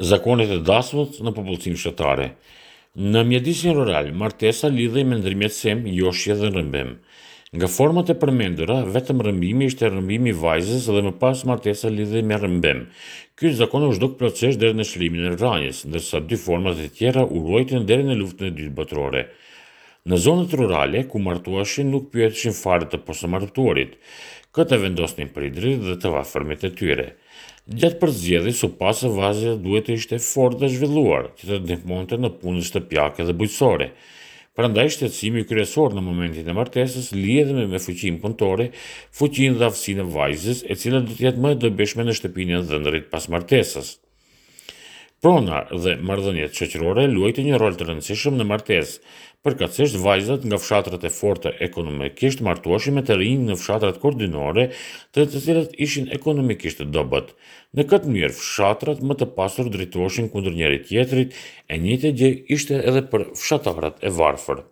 Zakonet e dasmës në popullsinë fshatare. Në mjedisin rural, martesa lidhej me ndërmjetësim, joshje dhe rrëmbim. Nga format e përmendura, vetëm rrëmbimi ishte rrëmbimi i vajzës dhe më pas martesa lidhej me rrëmbim. Ky zakon u zhduk plotësisht deri në çlirimin e Vranjës, ndërsa dy format e tjera u ruajtën deri në Luftën e Dytë Botërore. Në zonat rurale, ku martoheshin nuk pyeteshin fare të posamartuarit. Këtë e vendosnin prindërit dhe të afërmit e tyre. Gjatë përzgjedhjes u pa se vajza duhet të ishte e fortë dhe e zhvilluar, që të ndihmonte në punët shtëpiake dhe bujqësore. Prandaj shqetësimi kryesor në momentin e martesës lidhej me, me fuqinë punëtore, fuqinë dhe aftësinë e vajzës, e cila do të jetë më e dobishme në shtëpinë e dhëndrit pas martesës. Prona dhe marrëdhëniet shoqërore luajtën një rol të rëndësishëm në martesë. Përkatësisht vajzat nga fshatrat e forta ekonomikisht martoheshin me të rinj në fshatrat kodrinore, të të cilët ishin ekonomikisht të dobët. Në këtë mënyrë fshatrat më të pasur drejtoheshin kundër njëri-tjetrit, e njëjta gjë ishte edhe për fshatarët e varfër.